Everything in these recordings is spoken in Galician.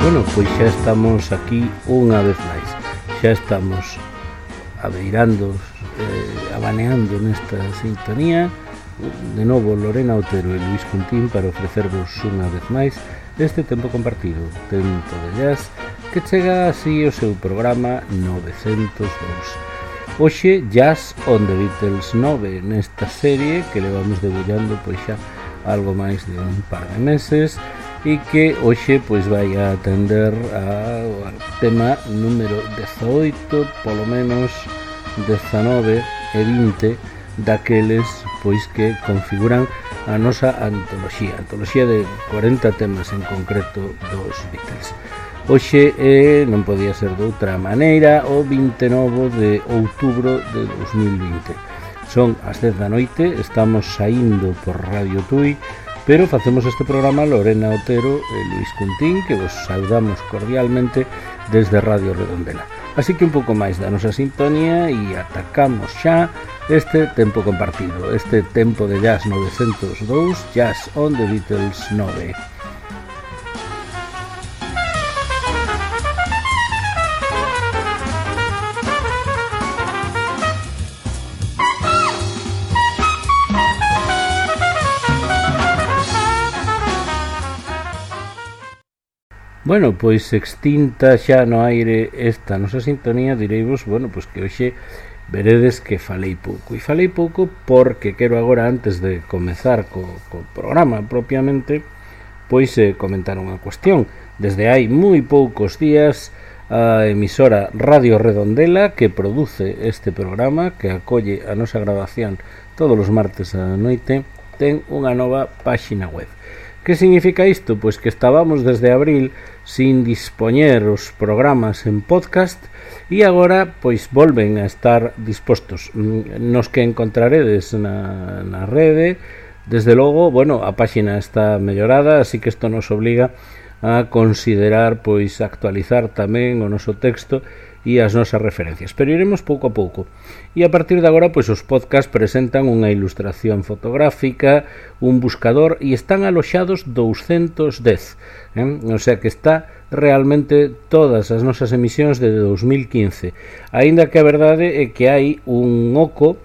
Bueno, pois xa estamos aquí unha vez máis. Xa estamos abeirando, abaneando nesta sintonía. De novo Lorena Otero e Luís Cuntín para ofrecervos unha vez máis este tempo compartido, Tempo de Jazz, que chega así o seu programa 902. Hoxe Jazz on the Beatles 9, nesta serie que levamos debullando pois xa algo máis de un par de meses e que hoxe pois vai a atender ao tema número 18, polo menos 19 e 20 daqueles pois que configuran a nosa antoloxía de 40 temas en concreto dos Beatles. Hoxe non podía ser de outra maneira, o 29 de outubro de 2020. Son as 10 da noite, estamos saindo por Radio Tui, pero facemos este programa Lorena Otero e Luís Cuntín, que vos saudamos cordialmente desde Radio Redondela. Así que un pouco máis da nosa sintonía e atacamos xa este tempo compartido, este tempo de Jazz 902, Jazz on the Beatles 9. Bueno, pois extinta xa no aire esta nosa sintonía, direivos, bueno, pois que hoxe veredes que falei pouco. E falei pouco porque quero agora, antes de comezar co programa propiamente, pois comentar unha cuestión. Desde hai moi poucos días, a emisora Radio Redondela, que produce este programa, que acolle a nosa grabación todos os martes á noite, ten unha nova páxina web. Que significa isto? Pois que estábamos desde abril sin dispoñer os programas en podcast e agora pois volven a estar dispostos. Nos que encontraredes na rede, desde logo, bueno, a páxina está mellorada, así que isto nos obliga a considerar pois actualizar tamén o noso texto e as nosas referencias, pero iremos pouco a pouco. E a partir de agora, pois os podcasts presentan unha ilustración fotográfica, un buscador e están aloxados 210, o sea que está realmente todas as nosas emisións de 2015, aínda que a verdade é que hai un oco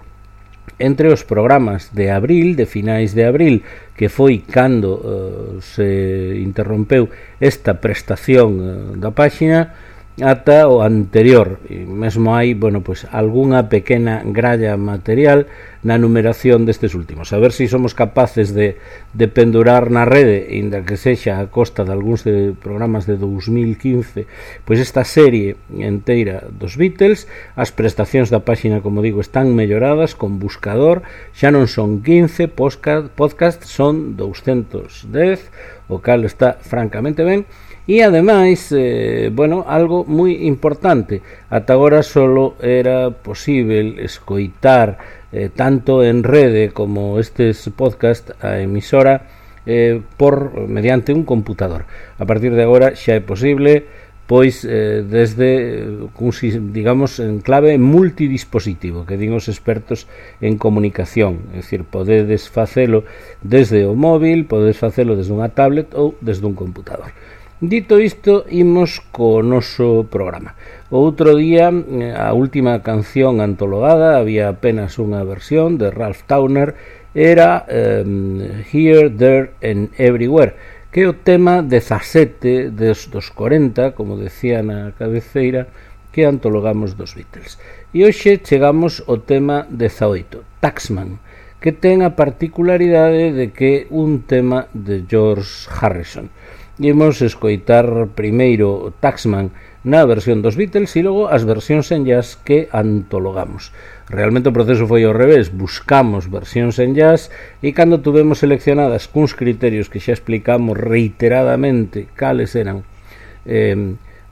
entre os programas de abril, de finais de abril, que foi cando se interrompeu esta prestación da páxina, ata o anterior, e mesmo hai, bueno, pois algunha pequena gralla material na numeración destes últimos. A ver se somos capaces de pendurar na rede, inda que sexa a costa de algúns de programas de 2015, pois esta serie enteira dos Beatles. As prestacións da páxina, como digo, están melloradas con buscador, xa non son 15 podcast, son 210, o cal está francamente ben. E ademais, bueno, algo moi importante, ata agora solo era posible escoitar tanto en rede como estes podcast a emisora mediante un computador. A partir de agora xa é posible, pois desde, digamos, en clave multidispositivo, que din os expertos en comunicación, é dicir, podedes facelo desde o móvil, podedes facelo desde unha tablet ou desde un computador. Dito isto, imos co noso programa. O outro día, a última canción antologada, había apenas unha versión de Ralph Towner, era Here, There and Everywhere, que é o tema 17 dos 40, como decía na cabeceira, que antologamos dos Beatles. E hoxe chegamos ao tema 18, Taxman, que ten a particularidade de que é un tema de George Harrison. Imos escoitar primeiro Taxman na versión dos Beatles e logo as versións en jazz que antologamos. Realmente o proceso foi ao revés, buscamos versións en jazz e cando tuvemos seleccionadas cuns criterios que xa explicamos reiteradamente cales eran,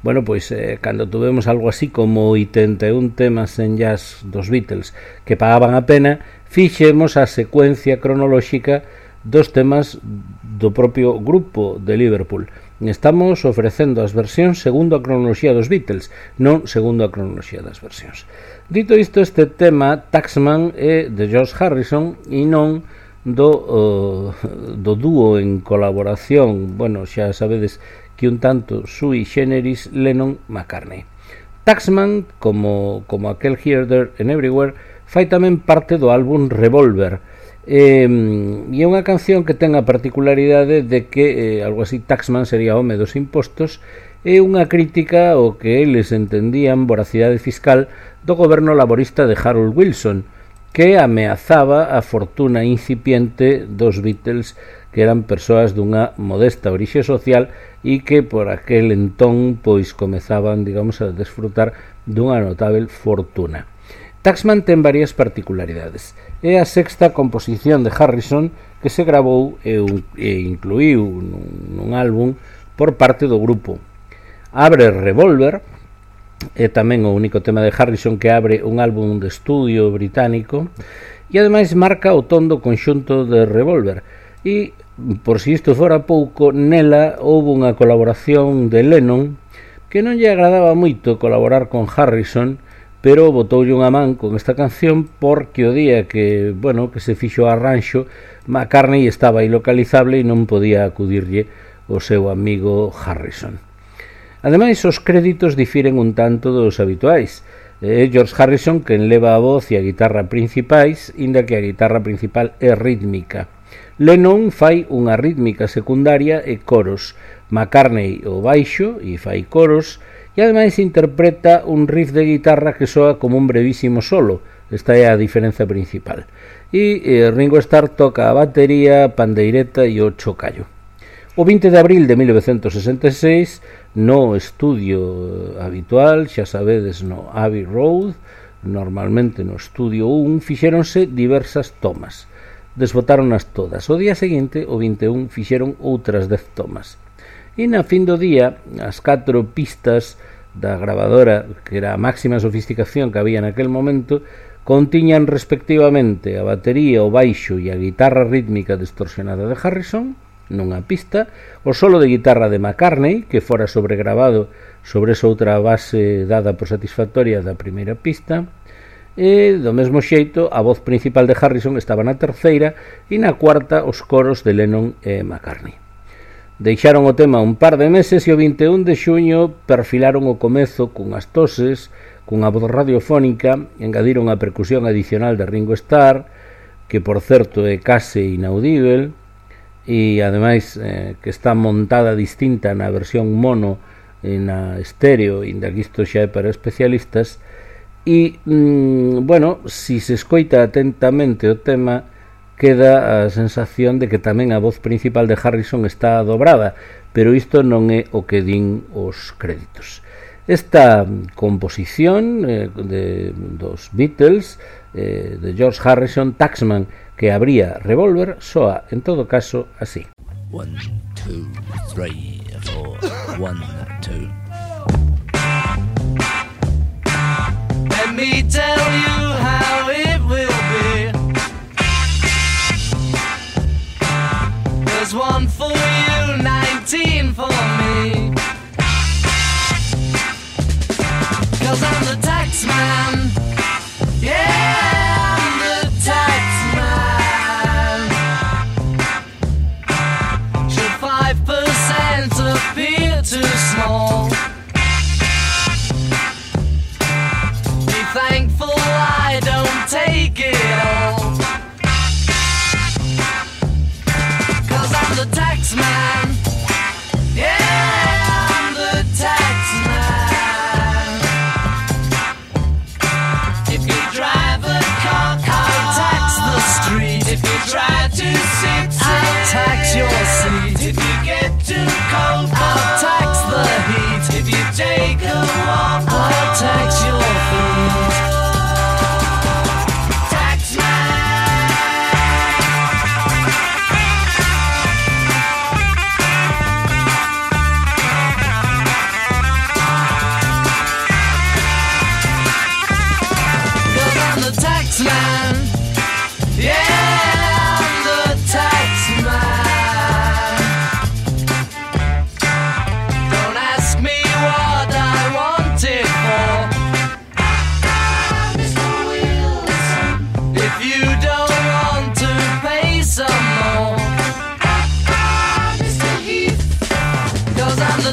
bueno, pois cando tuvemos algo así como 81 temas en jazz dos Beatles que pagaban a pena, fixemos a secuencia cronolóxica dos temas do propio grupo de Liverpool. Estamos ofrecendo as versións segundo a cronoloxía dos Beatles, non segundo a cronoloxía das versións. Dito isto, este tema, Taxman, é de George Harrison e non do dúo en colaboración. Bueno, xa sabedes que un tanto sui generis Lennon-McCartney. Taxman, como aquel Here, There and Everywhere, fai tamén parte do álbum Revolver, e é unha canción que ten a particularidade de que algo así Taxman sería home dos impostos, e unha crítica ao que eles entendían voracidade fiscal do goberno laborista de Harold Wilson, que ameazaba a fortuna incipiente dos Beatles, que eran persoas dunha modesta orixe social e que por aquel entón pois comezaban, digamos, a desfrutar dunha notável fortuna. Taxman ten varias particularidades. É a sexta composición de Harrison que se gravou e incluíu nun álbum por parte do grupo. Abre Revolver, é tamén o único tema de Harrison que abre un álbum de estudio británico, e ademais marca o ton do conxunto de Revolver. E, por si isto fora pouco, nela houve unha colaboración de Lennon que non lle agradaba moito colaborar con Harrison, pero botoulle unha man con esta canción porque o día que se fixo o arranxo, McCartney estaba ilocalizable e non podía acudirlle o seu amigo Harrison. Ademais, os créditos difiren un tanto dos habituais. George Harrison quen leva a voz e a guitarra principais, inda que a guitarra principal é rítmica. Lennon fai unha rítmica secundaria e coros, McCartney o baixo e fai coros, e ademais interpreta un riff de guitarra que soa como un brevísimo solo. Esta é a diferenza principal. E Ringo Starr toca a batería, pandeireta e o chocallo. O 20 de abril de 1966, no estudio habitual, xa sabedes, no Abbey Road, normalmente no estudio 1, fixéronse diversas tomas. Desbotáronas todas. O día seguinte, o 21, fixeron outras 10 tomas. E na fin do día, as 4 pistas da gravadora, que era a máxima sofisticación que había naquel momento, contiñan respectivamente a batería, o baixo e a guitarra rítmica distorsionada de Harrison nunha pista, o solo de guitarra de McCartney, que fora sobregravado sobre esa outra base dada por satisfactoria da primeira pista, e do mesmo xeito a voz principal de Harrison estaba na terceira e na cuarta os coros de Lennon e McCartney. Deixaron o tema un par de meses e o 21 de xuño perfilaron o comezo cunhas toses, cunha voz radiofónica, engadiron a percusión adicional de Ringo Starr, que por certo é case inaudível, e ademais que está montada distinta na versión mono e na estéreo, inda que isto xa é para especialistas, e, si se escoita atentamente o tema, queda a sensación de que tamén a voz principal de Harrison está dobrada, pero isto non é o que din os créditos. Esta composición dos Beatles, de George Harrison, Taxman, que abría Revolver, soa, en todo caso, así. 1, 2, 3, 4, 1, 2. Let me tell you how it will be. There's 1 for you, 19 for me. 'Cause I'm the tax man. Yeah, I'm the tax man. Should 5% appear too small? Be thankful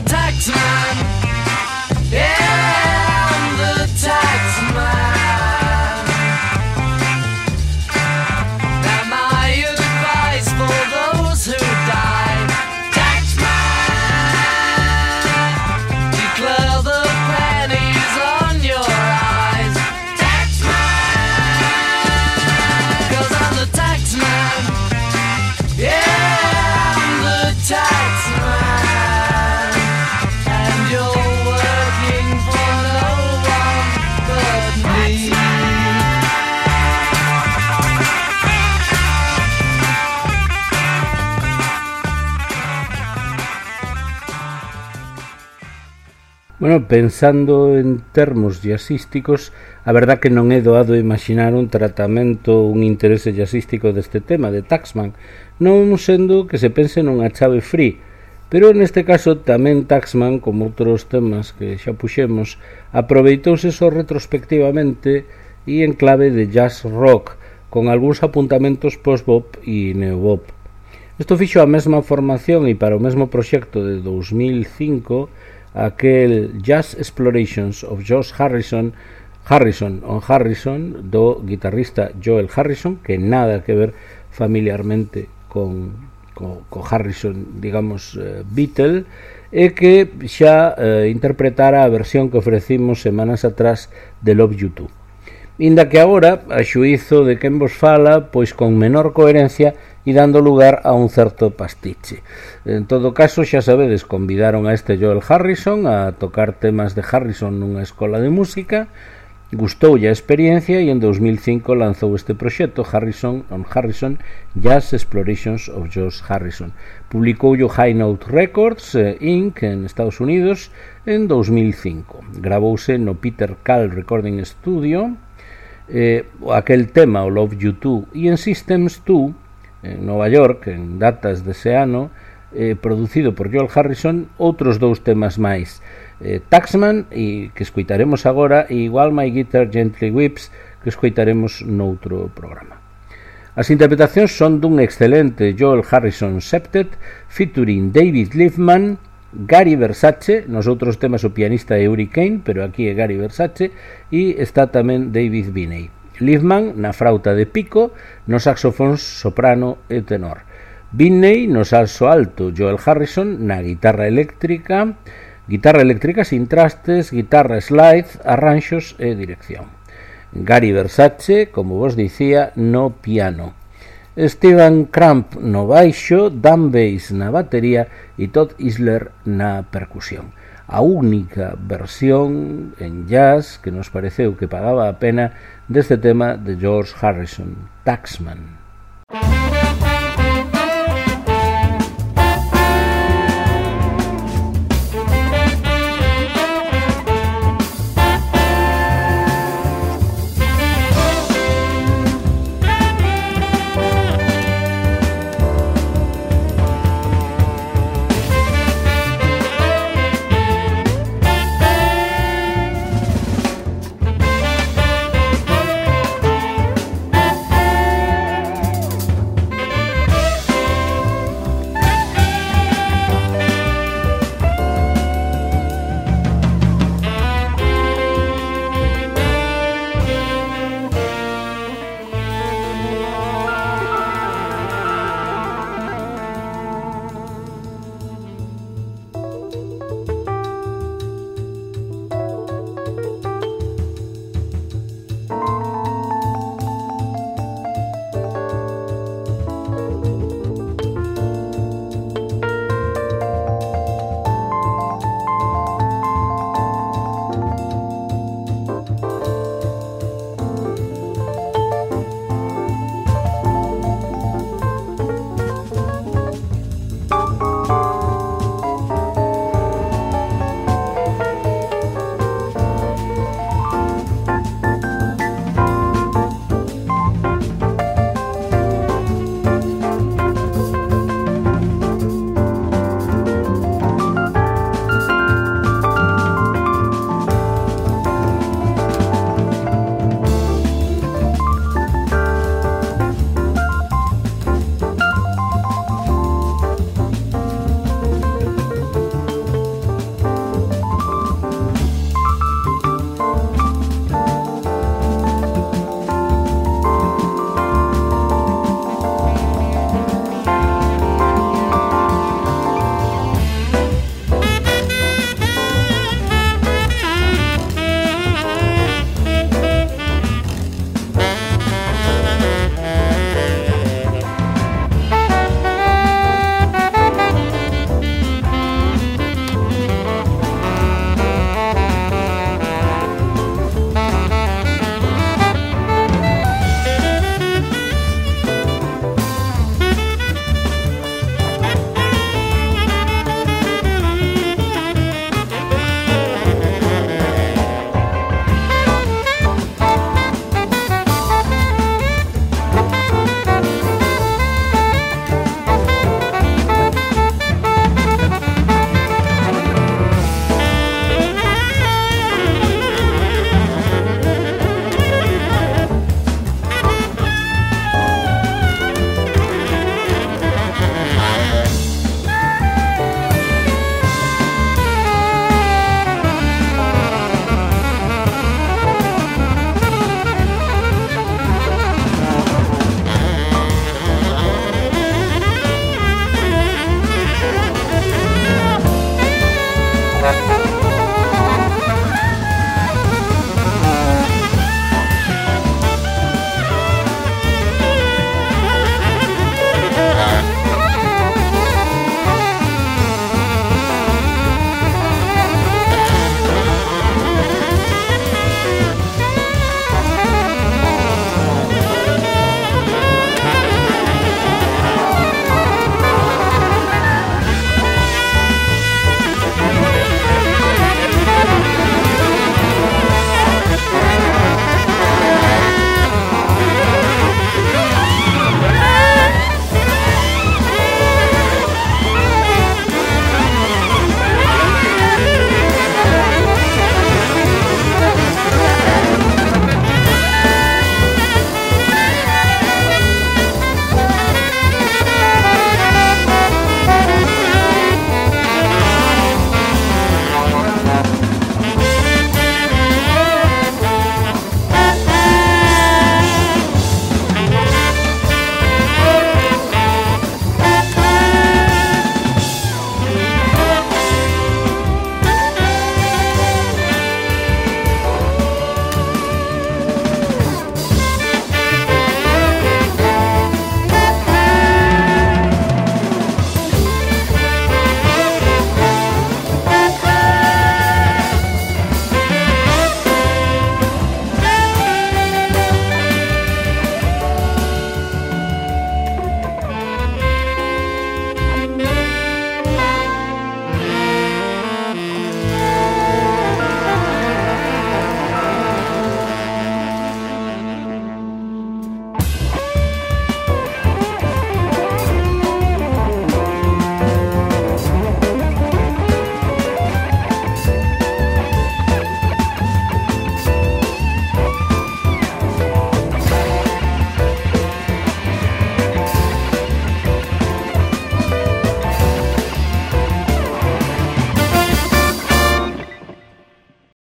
taxman. Yeah, I'm the taxman. Now my advice for those who die, taxman, declare the pennies on your eyes, taxman, 'cause I'm the taxman. Yeah, I'm the taxman, and you're working for no one but me. Bueno, pensando en termos jazzísticos, a verdad que non é doado imaginar un tratamento, un interese jazzístico deste tema, de Taxman, non sendo que se pense nunha chave free, pero neste caso tamén Taxman, como outros temas que xa puxemos, aproveitouse só retrospectivamente e en clave de jazz rock, con algúns apuntamentos post-bop e neo-bop. Isto fixo a mesma formación e para o mesmo proxecto de 2005, aquel Jazz Explorations of George Harrison do guitarrista Joel Harrison, que nada que ver familiarmente co Harrison, digamos, Beatle, e que xa interpretara a versión que ofrecimos semanas atrás de Love You Too. Inda que agora, a xuízo de quen vos fala, pois con menor coherencia e dando lugar a un certo pastiche. En todo caso, xa sabedes, convidaron a este Joel Harrison a tocar temas de Harrison nunha escola de música, gustoulle a experiencia e en 2005 lanzou este proxecto Harrison Jazz Explorations of George Harrison. Publicoulle High Note Records Inc. en Estados Unidos en 2005. Gravouse no Peter Cal Recording Studio aquel tema, o Love You Too, e en Systems 2 en Nova York, en datas dese ano, producido por Joel Harrison, outros dous temas máis, Taxman, e que escoitaremos agora, e While My Guitar Gently Weeps, que escoitaremos noutro programa. As interpretacións son dun excelente Joel Harrison Septet, featuring David Liebman, Gary Versace, nos outros temas o pianista é Uri Kane, pero aquí é Gary Versace, e está tamén David Binney. Liebman na frauta de pico, nos saxofóns soprano e tenor. Binney no saxo alto, Joel Harrison na guitarra eléctrica sin trastes, guitarra slide, arranxos e dirección. Gary Versace, como vos dicía, no piano. Steven Cramp no baixo, Dan Bass na batería e Todd Isler na percusión. A única versión en jazz que nos pareceu que pagaba a pena deste tema de George Harrison, Taxman.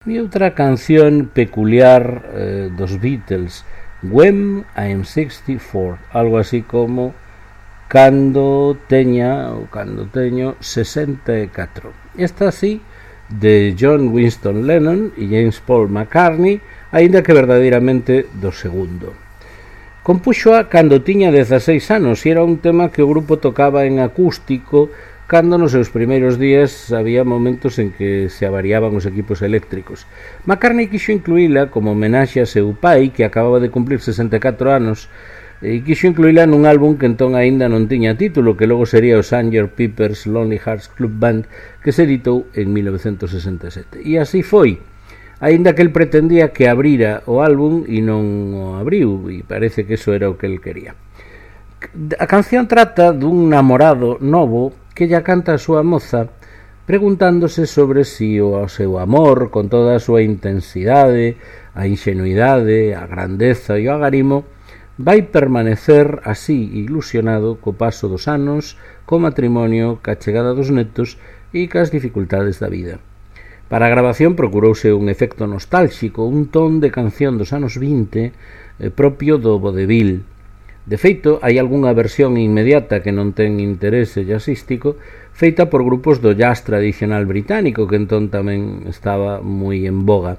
E outra canción peculiar dos Beatles, When I'm 64, algo así como cando teño 64. Esta así de John Winston Lennon e James Paul McCartney, aínda que verdadeiramente do segundo. Compuxoa cando tiña 16 anos e era un tema que o grupo tocaba en acústico cando nos seus primeiros días había momentos en que se avariaban os equipos eléctricos. McCartney quixo incluíla como homenaxe a seu pai, que acababa de cumplir 64 anos, e quixo incluíla nun álbum que entón aínda non tiña título, que logo sería o Sgt. Pepper's Lonely Hearts Club Band, que se editou en 1967. E así foi, aínda que el pretendía que abrira o álbum e non o abriu, e parece que eso era o que el quería. A canción trata dun namorado novo que lla canta a súa moza preguntándose sobre si o seu amor, con toda a súa intensidade, a ingenuidade, a grandeza e o agarimo, vai permanecer así ilusionado co paso dos anos, co matrimonio, ca chegada dos netos e cas dificultades da vida. Para a grabación procurouse un efecto nostálxico, un ton de canción dos anos 20 propio do vodevil. De feito, hai algunha versión inmediata que non ten interese jazzístico, feita por grupos do jazz tradicional británico, que entón tamén estaba moi en boga.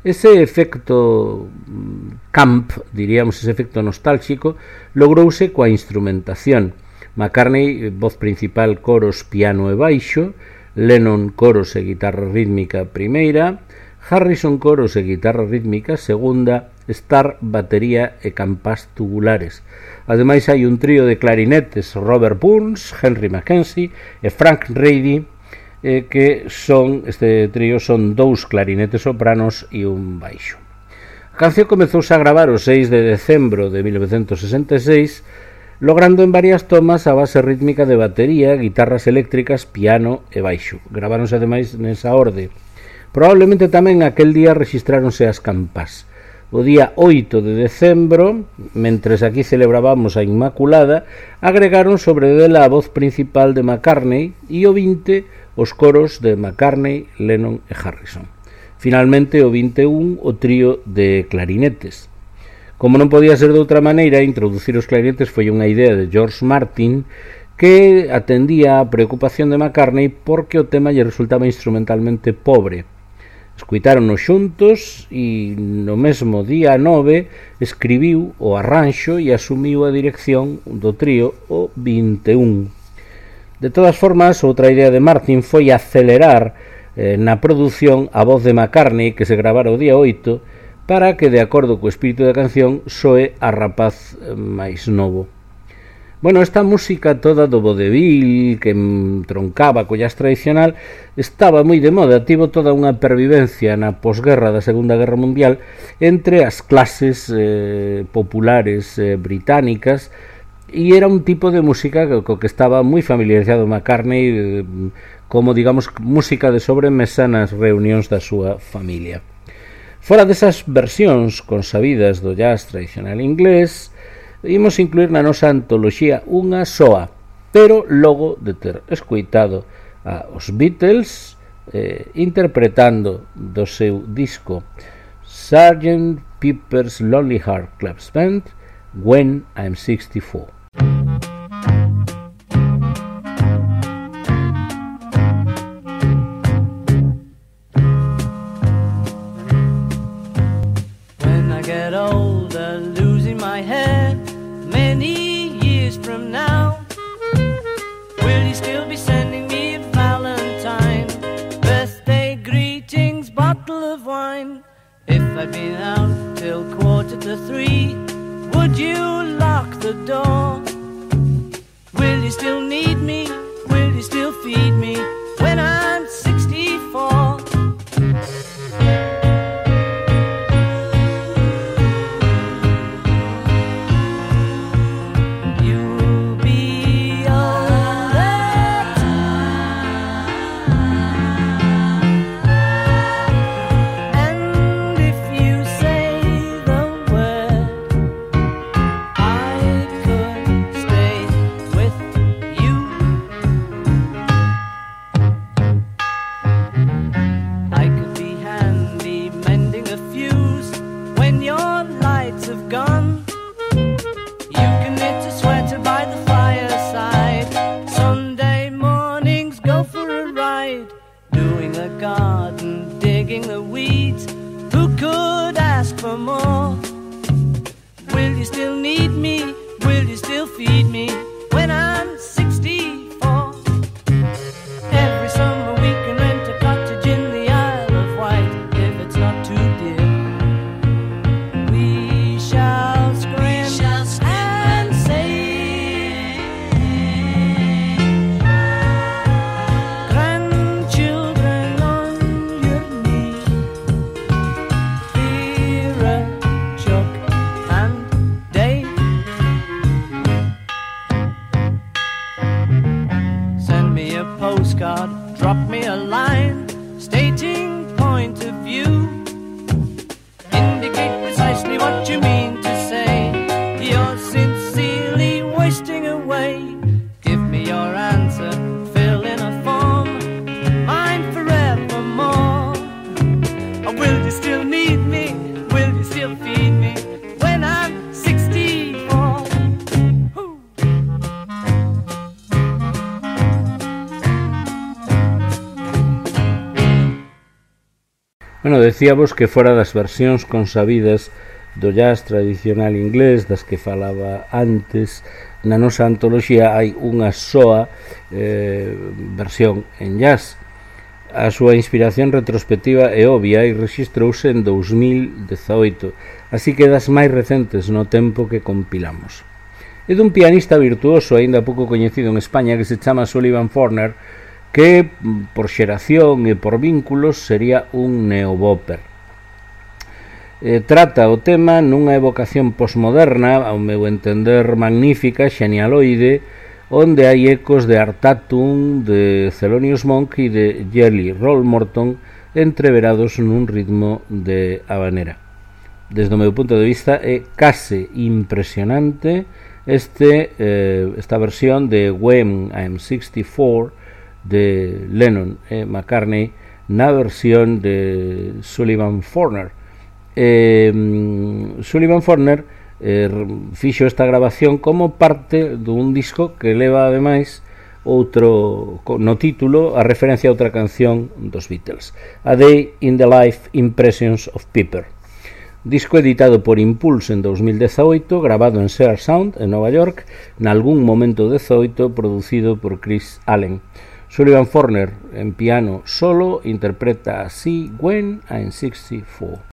Ese efecto camp, diríamos, ese efecto nostálxico, logrouse coa instrumentación. McCartney, voz principal, coros, piano e baixo, Lennon, coros e guitarra rítmica primeira, Harrison, coros e guitarra rítmica segunda, Starr, batería e campás tubulares. Ademais hai un trío de clarinetes, Robert Burns, Henry Mackenzie e Frank Ready, que son, este trío son 2 clarinetes sopranos e un baixo. A canción comezouse a gravar o 6 de decembro de 1966, logrando en varias tomas a base rítmica de batería, guitarras eléctricas, piano e baixo. Graváronse ademais nesa orde. Probablemente tamén aquel día rexistráronse as campás. O día 8 de decembro, mentres aquí celebrábamos a Inmaculada, agregaron sobre dela a voz principal de McCartney e o 20 os coros de McCartney, Lennon e Harrison. Finalmente, o 21, o trío de clarinetes. Como non podía ser de outra maneira, introducir os clarinetes foi unha idea de George Martin, que atendía a preocupación de McCartney porque o tema lle resultaba instrumentalmente pobre. Escuitáronos xuntos e no mesmo día 9 escribiu o arranxo e asumiu a dirección do trío o 21. De todas formas, outra idea de Martin foi acelerar na produción a voz de McCartney, que se gravara o día 8, para que, de acordo co espírito da canción, soe a rapaz máis novo. Bueno, esta música toda do vodevil que troncaba co jazz tradicional estaba moi de moda, tivo toda unha pervivencia na posguerra da Segunda Guerra Mundial entre as clases populares británicas, e era un tipo de música co que estaba moi familiarizado McCartney, como, digamos, música de sobremesa nas reunións da súa familia. Fora desas versións consabidas do jazz tradicional inglés, imos incluir na nosa antoloxía unha soa, pero logo de ter escoitado os Beatles interpretando do seu disco Sgt. Pepper's Lonely Hearts Club Band, When I'm 64. When I get older, losing my hair, many years from now, will you still be sending me a Valentine, birthday greetings, bottle of wine? If I'd been out till 2:45, would you lock the door? Will you still need me? Will you still feed me when I'm 64? the garden, digging the weeds. Who could ask for more? Will you still need me? Will you still feed me when I'm 64? Every summer we can rent a cottage in the Isle of Wight if it's not too dear. We shall scream and say, grandchildren on your knee, Vera, Chuck and Dave. Send me a postcard, drop me a line, stating point of view. Indicate precisely what you mean to say. You're sincerely wasting away. Give me your answer, fill in a form, mine forevermore. Or will you still need me? Will you still feed me when I'm 64? Woo. Bueno, decíamos que fora das versións consabidas do jazz tradicional inglés das que falaba antes, na nosa antoloxía hai unha soa versión en jazz. A súa inspiración retrospectiva é obvia e rexistrouse en 2018, así que das máis recentes no tempo que compilamos. É dun pianista virtuoso aínda pouco coñecido en España que se chama Sullivan Forner, que por xeración e por vínculos sería un neobopper. Trata o tema nunha evocación posmoderna, ao meu entender magnífica, xenialoide, onde hai ecos de Art Tatum, de Thelonious Monk e de Jelly Roll Morton entreverados nun ritmo de habanera. Desde o meu punto de vista é case impresionante esta versión de When I'm 64 de Lennon e McCartney na versión de Sullivan Forner. Sullivan Forner fixo esta grabación como parte dun disco que leva ademais outro no título a referencia a outra canción dos Beatles, A Day in the Life Impressions of Pepper, disco editado por Impulse en 2018, grabado en Sear Sound en Nova York, nalgún momento 18, producido por Chris Allen. Sullivan Forner en piano solo interpreta así When I'm 64.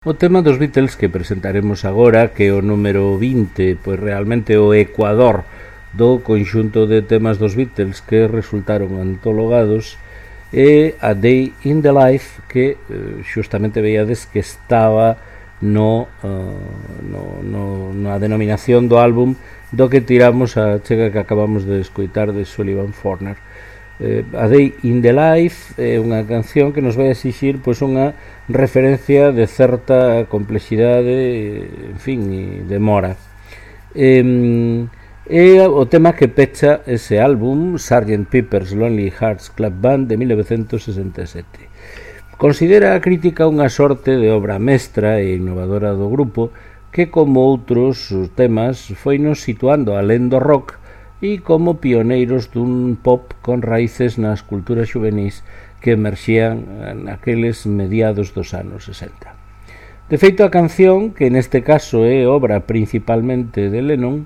O tema dos Beatles que presentaremos agora, que é o número 20, pois realmente o ecuador do conxunto de temas dos Beatles que resultaron antologados, é A Day in the Life, que xustamente veíades que estaba na denominación do álbum do que tiramos a chega que acabamos de escoitar de Sullivan Forner. A Day in the Life é unha canción que nos vai exixir pois unha referencia de certa complexidade, en fin, e demora. É o tema que pecha ese álbum, Sgt. Pepper's Lonely Hearts Club Band, de 1967. Considera a crítica unha sorte de obra mestra e innovadora do grupo que, como outros temas, foi nos situando alén do rock e como pioneiros dun pop con raíces nas culturas xuvenís que emerxían naqueles mediados dos anos 60. De feito, a canción, que neste caso é obra principalmente de Lennon,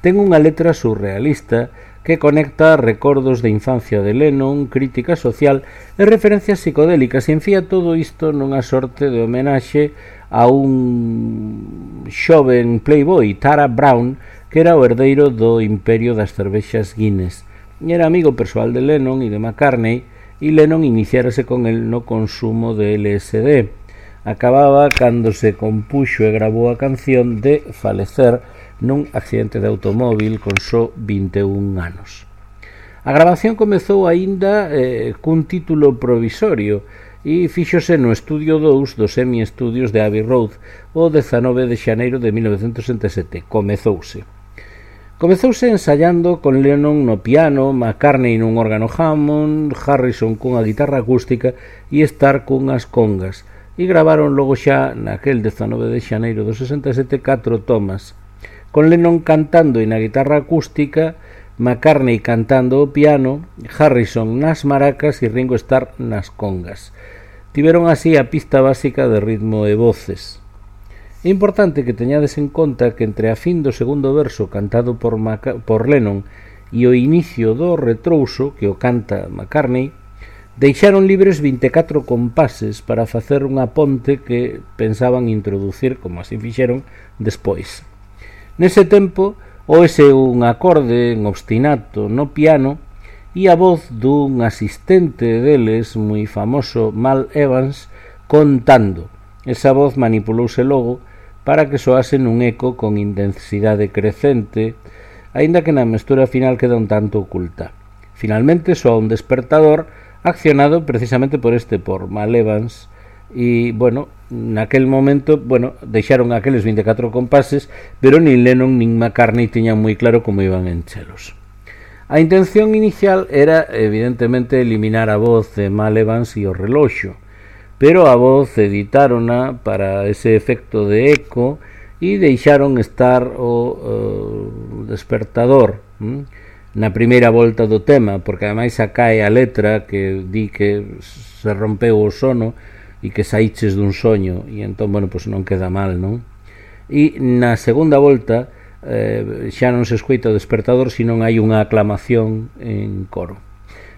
ten unha letra surrealista que conecta recordos de infancia de Lennon, crítica social e referencias psicodélicas, e enfía todo isto nunha sorte de homenaxe a un xoven playboy, Tara Brown, que era o herdeiro do imperio das cervexas Guinness. Era amigo persoal de Lennon e de McCartney, e Lennon iniciárase con el no consumo de LSD. Acababa cando se compuxo e grabou a canción de falecer nun accidente de automóvil con só 21 anos. A grabación comezou aínda cun título provisorio e fíxose no estudio 2 dos Semi Studios de Abbey Road o 19 de xaneiro de 1967. Comezouse ensaiando con Lennon no piano, McCartney nun órgano Hammond, Harrison cunha guitarra acústica e Starr cunhas congas, e gravaron logo xa naquel 19 de xaneiro do 67 4 tomas, con Lennon cantando e na guitarra acústica, McCartney cantando o piano, Harrison nas maracas e Ringo Starr nas congas. Tiveron así a pista básica de ritmo e voces. É importante que teñades en conta que entre a fin do segundo verso cantado por Lennon e o inicio do retrouso, que o canta McCartney, deixaron libres 24 compases para facer unha ponte que pensaban introducir, como así fixeron, despois. Nese tempo, oese un acorde en obstinato no piano e a voz dun asistente deles moi famoso, Mal Evans, contando. Esa voz manipulouse logo para que soase nun eco con intensidade crecente, aínda que na mestura final queda un tanto oculta. Finalmente soa un despertador accionado precisamente por Mal Evans, e, naquel momento, deixaron aqueles 24 compases, pero nin Lennon nin McCartney tiñan moi claro como iban enchelos. A intención inicial era, evidentemente, eliminar a voz de Mal Evans e o reloxo, pero a voz editárona para ese efecto de eco e deixaron estar o despertador na primeira volta do tema, porque ademais acae a letra que di que se rompeu o sono e que saíches dun soño, e entón, non queda mal, non? E na segunda volta xa non se escoita o despertador, senón hai unha aclamación en coro.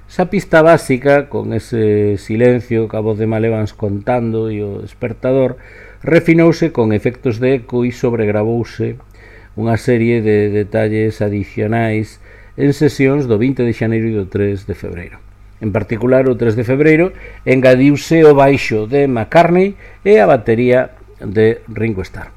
Esa pista básica, con ese silencio, ca voz de Mal Evans contando e o despertador, refinouse con efectos de eco e sobregravouse unha serie de detalles adicionais en sesións do 20 de xaneiro e do 3 de febreiro. En particular, o 3 de febreiro engadiuse o baixo de McCartney e a batería de Ringo Starr.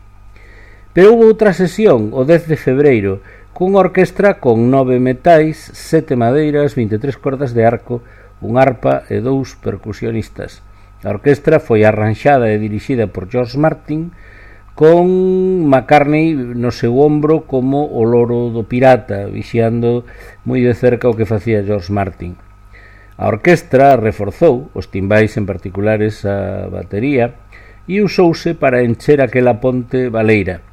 Pero houve outra sesión, o 10 de febreiro, cunha orquestra con 9 metais, 7 madeiras, 23 cordas de arco, un arpa e 2 percusionistas. A orquestra foi arranxada e dirixida por George Martin, con McCartney no seu ombro como o loro do pirata, vixiando moi de cerca o que facía George Martin. A orquestra reforzou, os timbais en particular esa batería, e usouse para encher aquela ponte baleira.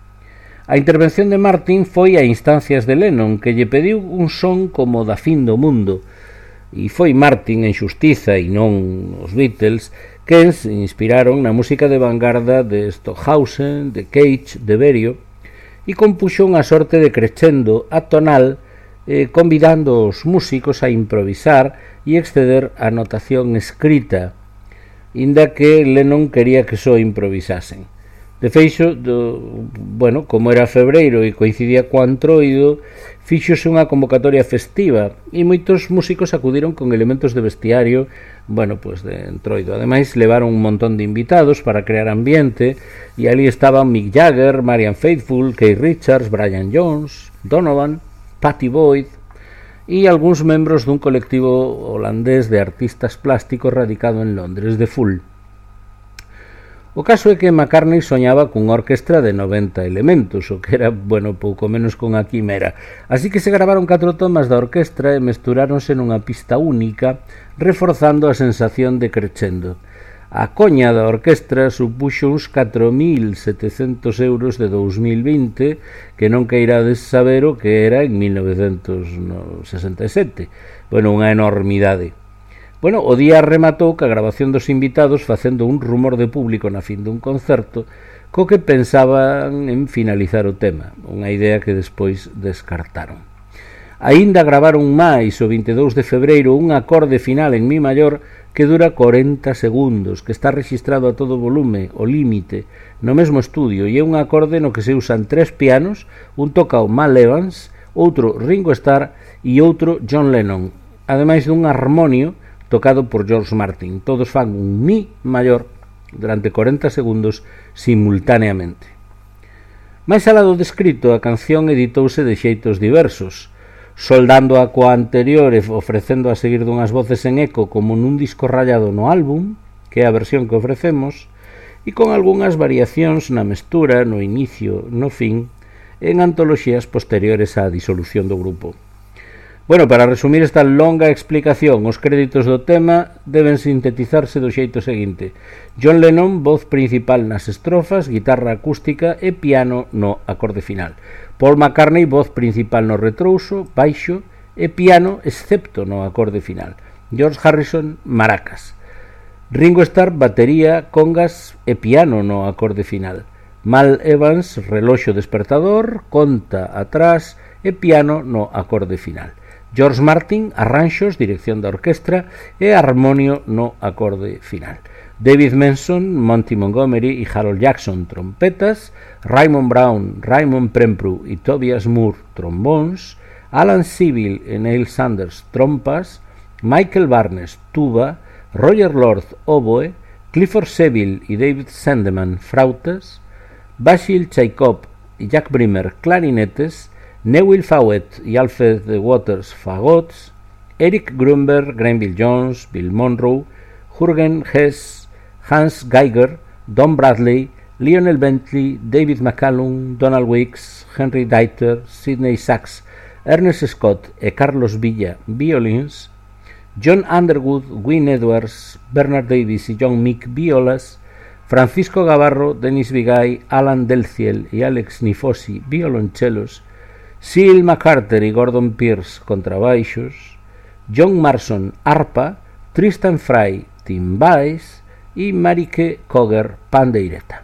A intervención de Martin foi a instancias de Lennon, que lle pediu un son como da fin do mundo, e foi Martin, en xustiza, e non os Beatles, que se inspiraron na música de vanguarda de Stockhausen, de Cage, de Berio, e compuxo unha sorte de crescendo atonal convidando os músicos a improvisar e exceder a notación escrita, inda que Lennon quería que só improvisasen. De feito, como era febreiro e coincidía co Antroido, fíxose unha convocatoria festiva e moitos músicos acudiron con elementos de vestiario, de Antroido. Ademais, levaron un montón de invitados para crear ambiente e ali estaban Mick Jagger, Marianne Faithfull, Keith Richards, Brian Jones, Donovan, Pattie Boyd e algúns membros dun colectivo holandés de artistas plásticos radicado en Londres, The Full. O caso é que McCartney soñaba cunha orquestra de 90 elementos, o que era, pouco menos cunha quimera. Así que se gravaron 4 tomas da orquestra e mesturáronse nunha pista única, reforzando a sensación de crescendo. A coña da orquestra supuxo uns 4.700 euros de 2020, que non queirades saber o que era en 1967. Unha enormidade. O día rematou ca grabación dos invitados facendo un rumor de público na fin dun concerto co que pensaban en finalizar o tema, unha idea que despois descartaron. Aínda gravaron máis o 22 de febreiro un acorde final en mi maior que dura 40 segundos, que está registrado a todo volume, o límite, no mesmo estudio, e é un acorde no que se usan 3 pianos, un toca o Mal Evans, outro Ringo Starr e outro John Lennon, ademais dun harmonio tocado por George Martin. Todos fan un mi maior durante 40 segundos simultaneamente. Mais alá do descrito, a canción editouse de xeitos diversos, soldando a coa anterior e ofrecendo a seguir dunhas voces en eco como nun disco rayado no álbum, que é a versión que ofrecemos, e con algunhas variacións na mestura, no inicio, no fin, en antoloxías posteriores á disolución do grupo. Para resumir esta longa explicación, os créditos do tema deben sintetizarse do xeito seguinte: John Lennon, voz principal nas estrofas, guitarra acústica e piano no acorde final. Paul McCartney, voz principal no retrouso, baixo e piano excepto no acorde final. George Harrison, maracas. Ringo Starr, batería, congas e piano no acorde final. Mal Evans, reloxo despertador, conta atrás e piano no acorde final. George Martin, arranxos, dirección da orquestra e armonio no acorde final. David Manson, Monty Montgomery e Harold Jackson, trompetas. Raymond Brown, Raymond Prempru e Tobias Moore, trombóns. Alan Seville e Neil Sanders, trompas. Michael Barnes, tuba. Roger Lord, oboe. Clifford Seville e David Sandeman, frautas. Basil Chaikov e Jack Brimmer, clarinetes. Newell Fawcett e Alfred Waters, fagots. Eric Grunberg, Granville Jones, Bill Monroe, Jürgen Hess, Hans Geiger, Don Bradley, Lionel Bentley, David McCallum, Donald Weeks, Henry Deiter, Sidney Sachs, Ernest Scott e Carlos Villa, violins. John Underwood, Wynne Edwards, Bernard Davis e John Meek, violas. Francisco Gavarro, Dennis Vigay, Alan Delciel e Alex Nifosi, violonchelos. Seal McCarter e Gordon Pierce, contrabaixos. John Marson, arpa. Tristan Fry, timbais e Marike Koger, pandeireta.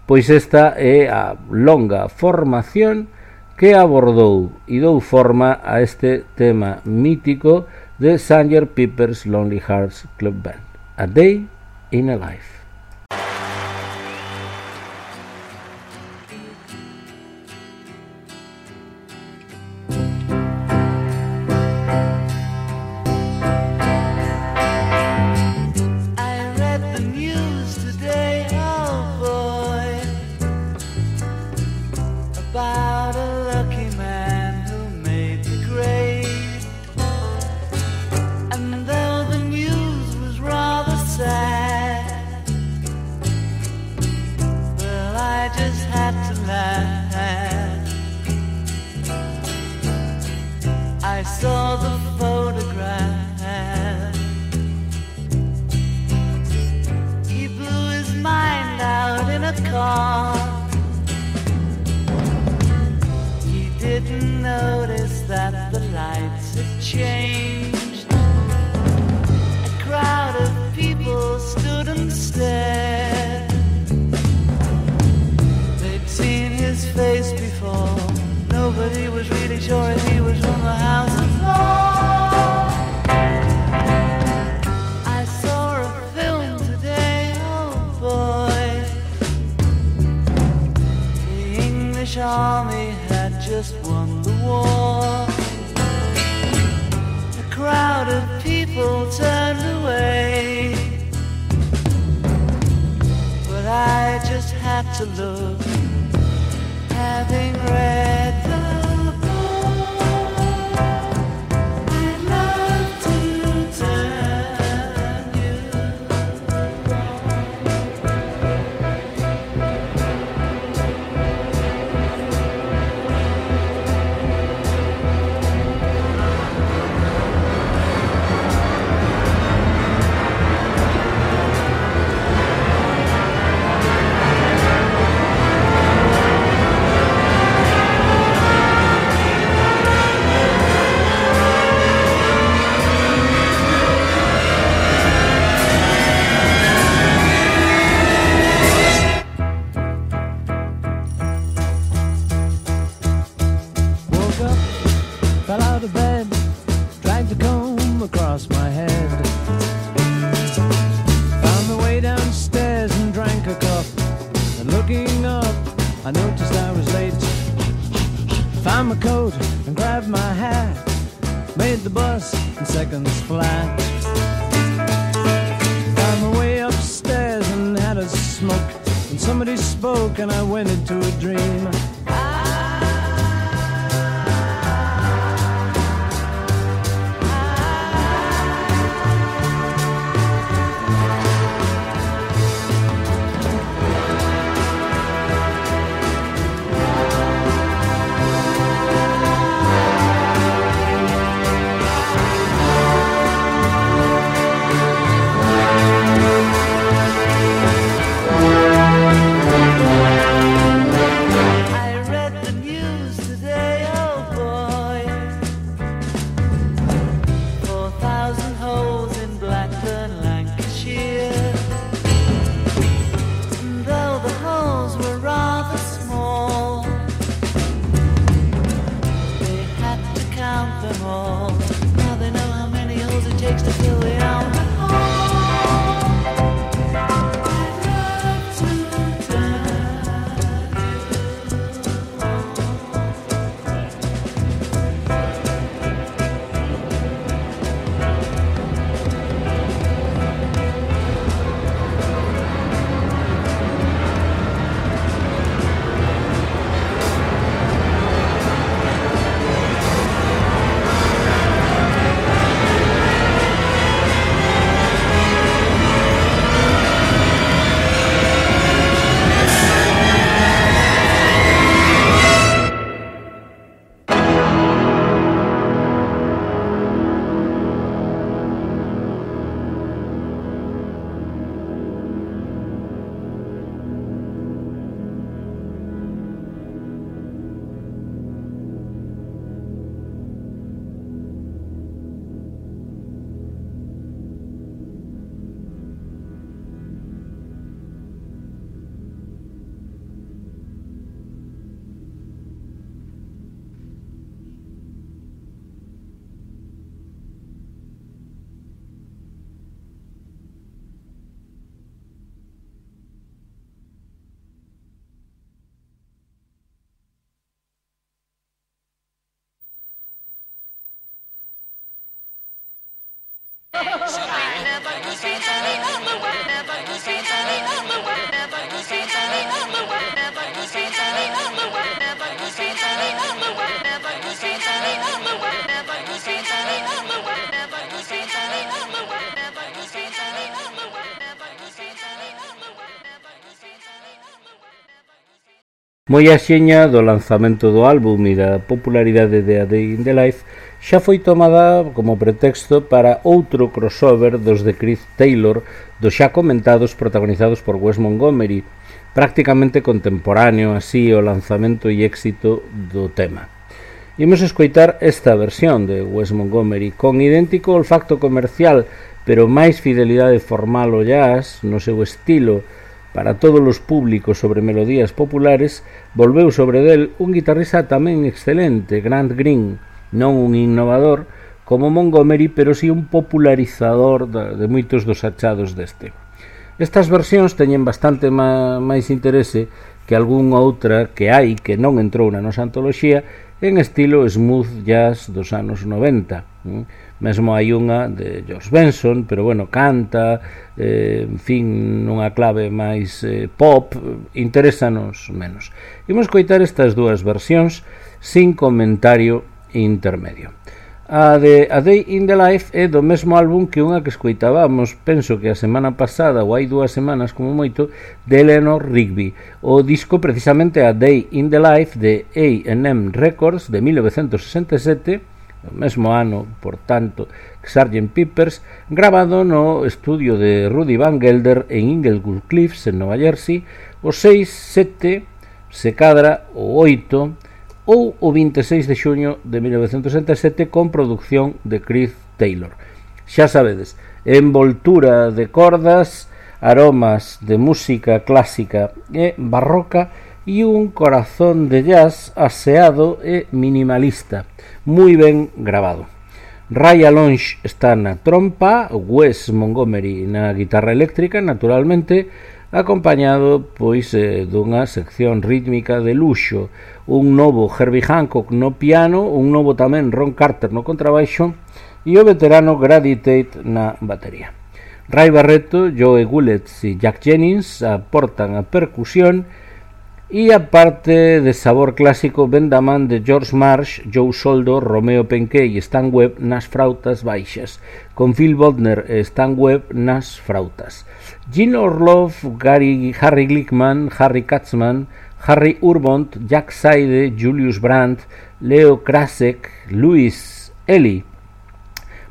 Pois esta é a longa formación que abordou e dou forma a este tema mítico de Sgt. Pepper's Lonely Hearts Club Band, A Day in a Life. And though the news was rather sad, crowded people turned away, but I just had to look, having read the and I went into a dream. Moi axiña do lanzamento do álbum e da popularidade de A Day in the Life, xa foi tomada como pretexto para outro crossover dos de Chris Taylor, dos xa comentados protagonizados por Wes Montgomery, prácticamente contemporáneo así ao lanzamento e éxito do tema. Imos escoitar esta versión de Wes Montgomery, con idéntico olfacto comercial, pero máis fidelidade formal ao jazz no seu estilo. Para todos os públicos sobre melodías populares, volveu sobre del un guitarrista tamén excelente, Grant Green, non un innovador como Montgomery, pero si un popularizador de moitos dos achados deste. Estas versións teñen bastante máis interese que algunha outra que hai que non entrou na nosa antoloxía en estilo smooth jazz dos anos 90. mesmo hai unha de George Benson, pero bueno, canta, en fin, nunha clave máis pop, interésanos menos. Imos coitar estas dúas versións sin comentario intermedio. A Day in the Life é do mesmo álbum que unha que escoitábamos, penso que a semana pasada ou hai 2 semanas como moito, de Eleanor Rigby. O disco precisamente A Day in the Life de A&M Records de 1967, o mesmo ano, por tanto, que Sgt. Pepper's, grabado no estudio de Rudy Van Gelder en Inglewood Cliffs, en Nova Jersey, o 6, 7, se cadra o 8 ou o 26 de xuño de 1967 con producción de Chris Taylor. Xa sabedes, envoltura de cordas, aromas de música clásica e barroca e un corazón de jazz aseado e minimalista, moi ben grabado. Ray Alonge está na trompa, Wes Montgomery na guitarra eléctrica, naturalmente, acompañado pois dunha sección rítmica de luxo, un novo Herbie Hancock no piano, un novo tamén Ron Carter no contrabaixo e o veterano Grady Tate na batería. Ray Barretto, Joe Gulletz e Jack Jennings aportan a percusión e a parte de sabor clásico ven da man de George Marsh, Joe Soldo, Romeo Penquet e Stan Webb nas frautas baixas, con Phil Bodner e Stan Webb nas frautas. Gene Orloff, Harry Glickman, Harry Katzman, Harry Urbont, Jack Saide, Julius Brandt, Leo Krasek, Louis Ellie,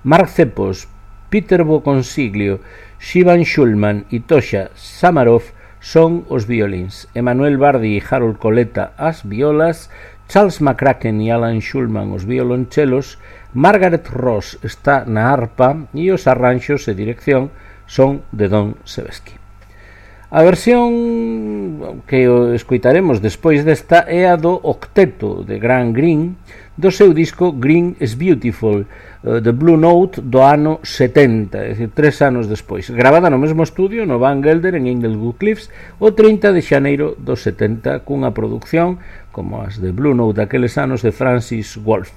Mark Cepos, Peter Boconsiglio, Shivan Shulman e Tosha Samaroff son os violins, Emmanuel Bardi e Harold Coletta as violas, Charles McCracken e Alan Shulman os violonchelos, Margaret Ross está na arpa e os arranxos e dirección son de Don Sebesky. A versión que escoitaremos despois desta é a do octeto de Grant Green do seu disco Green is Beautiful, The Blue Note, do ano 70, é dicir, 3 anos despois, gravada no mesmo estudio no Van Gelder en Inglewood Cliffs o 30 de xaneiro do 70, cunha produción como as de Blue Note daqueles anos de Francis Wolff.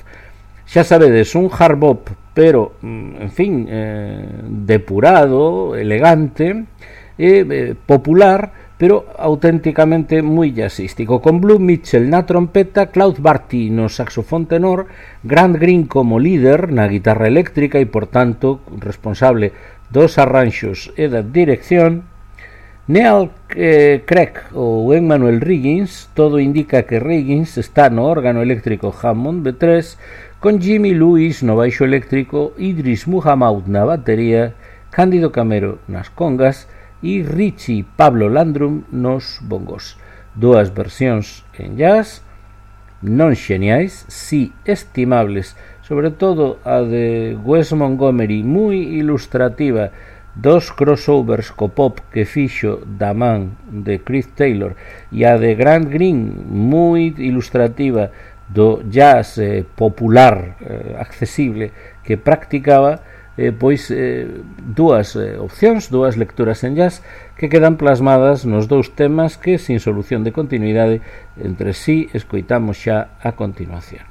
Xa sabedes, un hard bop, pero, en fin, depurado, elegante e popular, pero auténticamente moi jazzístico, con Blue Mitchell na trompeta, Claude Barty no saxofón tenor, Grant Green como líder na guitarra eléctrica e, por tanto, responsable dos arranxos e da dirección, Neal Craig ou Emmanuel Riggins. Todo indica que Riggins está no órgano eléctrico Hammond B3, con Jimmy Lewis no baixo eléctrico, Idris Muhammad na batería, Cándido Camero nas congas e Richie Pablo Landrum nos bongos. 2 versións en jazz, non xeniais, si estimables, sobre todo a de Wes Montgomery, moi ilustrativa, 2 crossovers co pop que fixo da man de Chris Taylor, e a de Grant Green, moi ilustrativa, do jazz popular, accesible, que practicaba, pois 2 opcións, 2 lecturas en jazz que quedan plasmadas nos 2 temas que, sin solución de continuidade entre sí, escoitamos xa a continuación.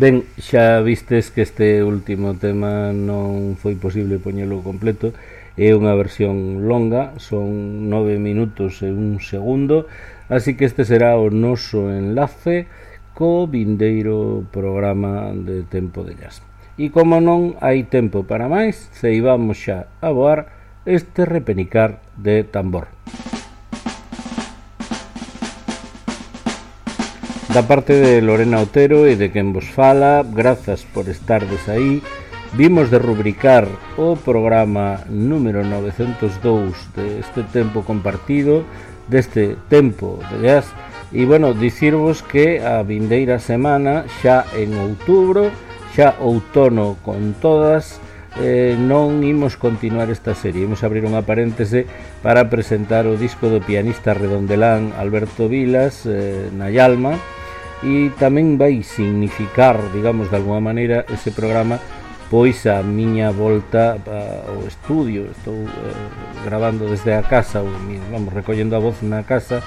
Ben, xa vistes que este último tema non foi posible poñelo completo, é unha versión longa, son 9 minutos e 1 segundo, así que este será o noso enlace co vindeiro programa de Tempo de Jazz. E como non hai tempo para máis, ceibamos xa a voar este repenicar de tambor. Da parte de Lorena Otero e de quen vos fala, grazas por estardes aí. Vimos de rubricar o programa número 902 deste tempo compartido, deste tempo de jazz. E, bueno, dicirvos que a vindeira semana, xa en outubro, xa outono con todas, non imos continuar esta serie. Imos abrir unha paréntese para presentar o disco do pianista redondelán Alberto Vilas, Nayalma, e tamén vai significar, digamos, de alguma maneira ese programa, pois a miña volta ao estudio. Estou grabando desde a casa, vamos, recollendo a voz na casa,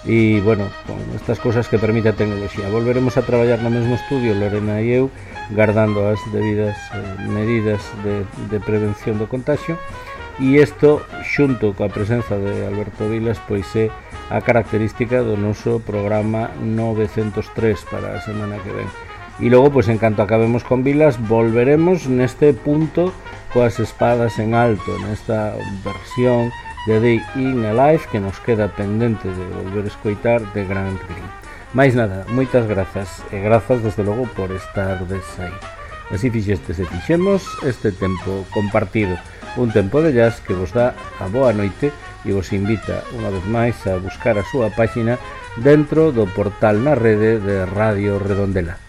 e, bueno, con estas cousas que permite a tecnoloxía. Volveremos a traballar no mesmo estudio, Lorena e eu, guardando as debidas medidas de prevención do contagio, e isto, xunto coa presenza de Alberto Vilas, pois é a característica do noso programa 903 para a semana que ven. E logo, pois, en canto acabemos con Vilas, volveremos neste punto coas espadas en alto, nesta versión de Day in a Life que nos queda pendente de volver a escoitar de Grant Green. Mais nada, moitas grazas, e grazas desde logo por estar aí. Así fixestes e fixemos este tempo compartido, un tempo de jazz que vos dá a boa noite e vos invita unha vez máis a buscar a súa páxina dentro do portal na rede de Radio Redondela.